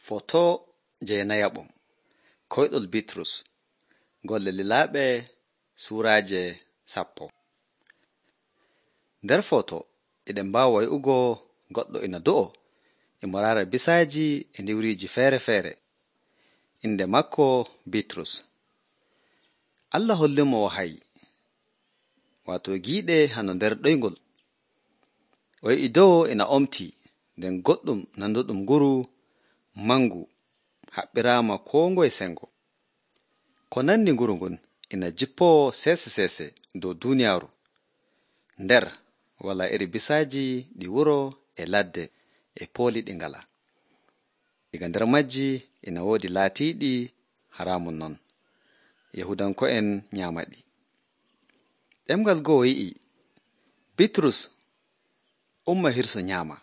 Foto jeenayaɓum koyɗol Bitrus golle lilaaɓe suuraaje 10. Nder foto eɗen mbaawa way'ugo goɗɗo ina do'o imo raara bisaaji e ndiwriiji feere-feere. Inde makko Bitrus. Allah hollimo wahayi waato giiɗe hano nder ɗoyngol. O yi'i dow ina omtii nden goɗɗum nanduɗum nguru mangu haɓɓiraama koo ngoye sengo. Ko nanndi nguru ngun ina jippoo seese dow duuniyaaru. Nder walaa iri bisaaji ɗi wuro e ladde e pooli ɗi ngalaa. Diga nder majji ina woodi laatiiɗi haraamun non. Yahudanko'en nyaama ɗi. Ɗemngal go'o yi'i, Bitrus, umma hirsu nyaama.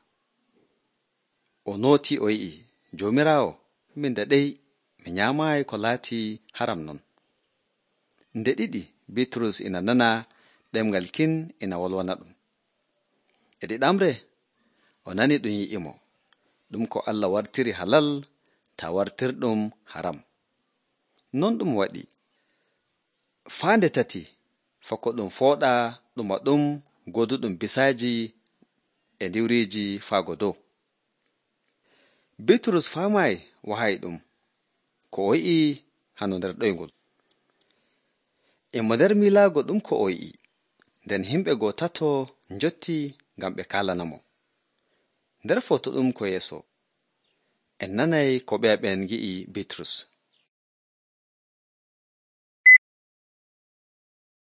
O nootii o yi'i, Joomiraawo, min daɗey mi nyaamaayi ko laatii haram non. Nde ɗiɗi Bitrus ina nana ɗemngal kin ina wolwana ɗum. E ɗiɗamre o nani ɗum yi'imo, ɗum ko Allah wartiri halal taa wartirɗum haram. Non ɗum waɗi. Faande tati fako ɗum fooɗa ɗuma ɗum goduɗum bisaaji e ndiwriiji faago dow. Bitrus faamaayi wahayi ɗum ko o yi'i hano nder ɗoyngol. Imo nder miilaago ɗum ko o yi'i, nden himɓe tato njotti ngam ɓe kaalanamo. Nder foto ɗum ko yeeso, en nanay ko ɓeeɓen ngi'i Bitrus.